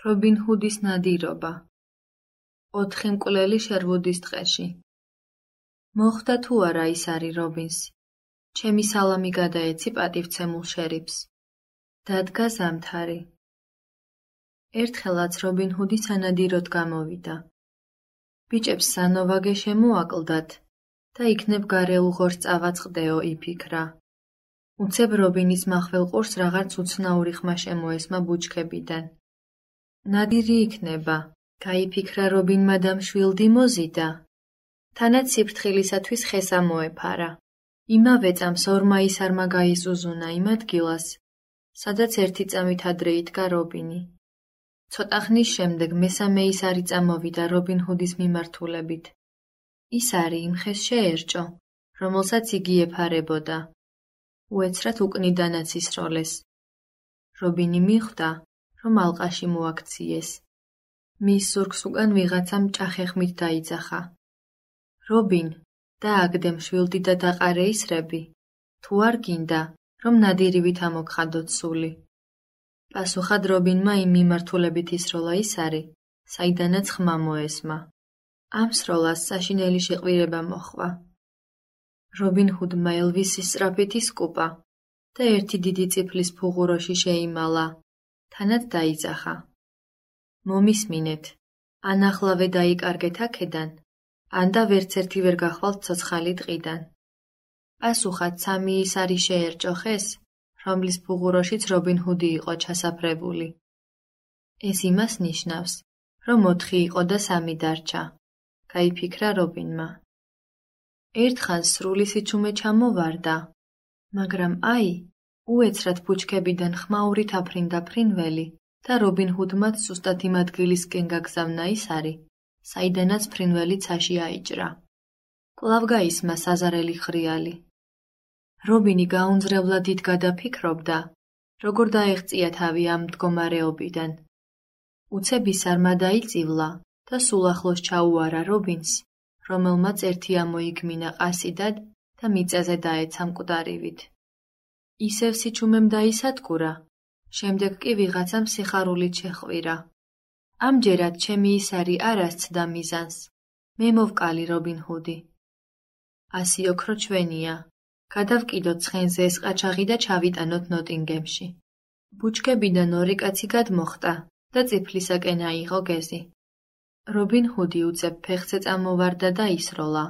რობინ ჰუდის ნადირობა. 4 მკვლელი შერვუდის ტყეში. მოხვდა თუ არა ის არის რობინს. ჩემი სალამი გადაეცი პატივცემულ შერიფს. დადგა ზამთარი. ერთხელაც რობინ ჰუდი სანადიროდ გამოვიდა. ბიჭებს სანოვაგე შემოაკლდათ და იქნებ გარეულ ღორს წავაწყდეო იფიქრა. უცებ რობინის მახველ ყურს რაღაც უცნაური ხმა შემოესმა ბუჩქებიდან. ნადირი იქნება, გაიფიქრა რობინმა და მშვილდი მოზიდა. თანაც სიფრთხილისათვის ხესა მოეფარა. იმავე წამს ორმა ისარმა გაიზუზუნა იმ ადგილას, სადაც 1 წამით ადრე იდგა რობინი. ცოტა ხნის შემდეგ მესამე ისარი წამოვიდა რობინ ჰუდის მიმართულებით. ისარი იმ ხეს შეერჭო, რომელსაც იგი ეფარებოდა. უეცრად უკნიდანაც ისროლეს. რობინი მიხვდა, რომ ალყაში მოაქციეს. მის ზურგს უკან ვიღაცამ ჭახეხმით დაიძახა. რობინ, დააგდე მშვილდი და დაყარე ისრები, თუ არ გინდა, რომ ნადირივით ამოგხადოთ სული. პასუხად რობინმა იმ მიმართულებით ისროლა ისარი, საიდანაც ხმა მოესმა. ამ სროლას საშინელი შეყვირება მოჰყვა. რობინ ჰუდმა ელვისის სწრაფით ისკუპა და ერთი დიდი წიფლის ფუღუროში შეიმალა, თანაც დაიძახა. მომისმინეთ, ან ახლავე დაიკარგეთ აქედან, ან და ვერც ერთი ვერ გახვალთ ცოცხალი ტყიდან. პასუხად 3 ისარი შეერჭო ხეს, რომლის ფუღუროშიც რობინ ჰუდი იყო ჩასაფრებული. ეს იმას ნიშნავს, რომ 4 იყო და 3 დარჩა, გაიფიქრა რობინმა. ერთხანს სრული სიჩუმე ჩამოვარდა, მაგრამ აი, უეცრად ბუჩქებიდან ხმაურით აფრინდა ფრინველი და რობინ ჰუდმაც სუსტად იმ ადგილისკენ გაგზავნა ისარი, საიდანაც ფრინველი ცაში აიჭრა. კვლავ გაისმა საზარელი ხრიალი. რობინი გაუნძრევლად იდგა და ფიქრობდა, როგორ დაეღწია თავი ამ მდგომარეობიდან. უცებ ისარმა დაიწივლა და სულ ახლოს ჩაუარა რობინს, რომელმაც ერთი ამოიგმინა ყასიდად და მიწაზე დაეცა მკვდარივით. ისევ სიჩუმემ დაისადგურა, შემდეგ კი ვიღაცამ სიხარულით შეხვირა. ამჯერად ჩემი ისარი არ ასცდა მიზანს, მე მოვკალი რობინ ჰუდი. ასი ოქრო ჩვენია, გადავკიდოთ ცხენზე ეს ყაჩაღი და ჩავიტანოთ ნოტინგემში. ბუჩქებიდან 2 კაცი გადმოხტა და წიფლისაკენ აიღო გეზი. რობინ ჰუდი უცებ ფეხზე წამოვარდა და ისროლა.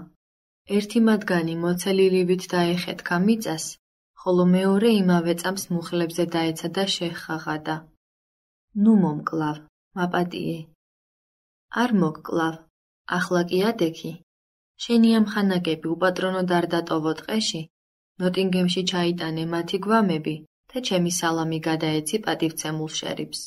ერთი მათგანი მოცელილივით დაეხეთქა მიწას, ხოლო მეორე იმავე წამს მუხლებზე დაეცა და შეხაღადა. ნუ მომკლავ, მაპატიე. არ მოგკლავ, ახლა კი ადექი. შენი ამ ხანაკები უპატრონოდ არ დატოვო ტყეში, ნოტინგემში ჩაიტანე მათი გვამები და ჩემი სალამი გადაეცი პატივცემულ შერიფს.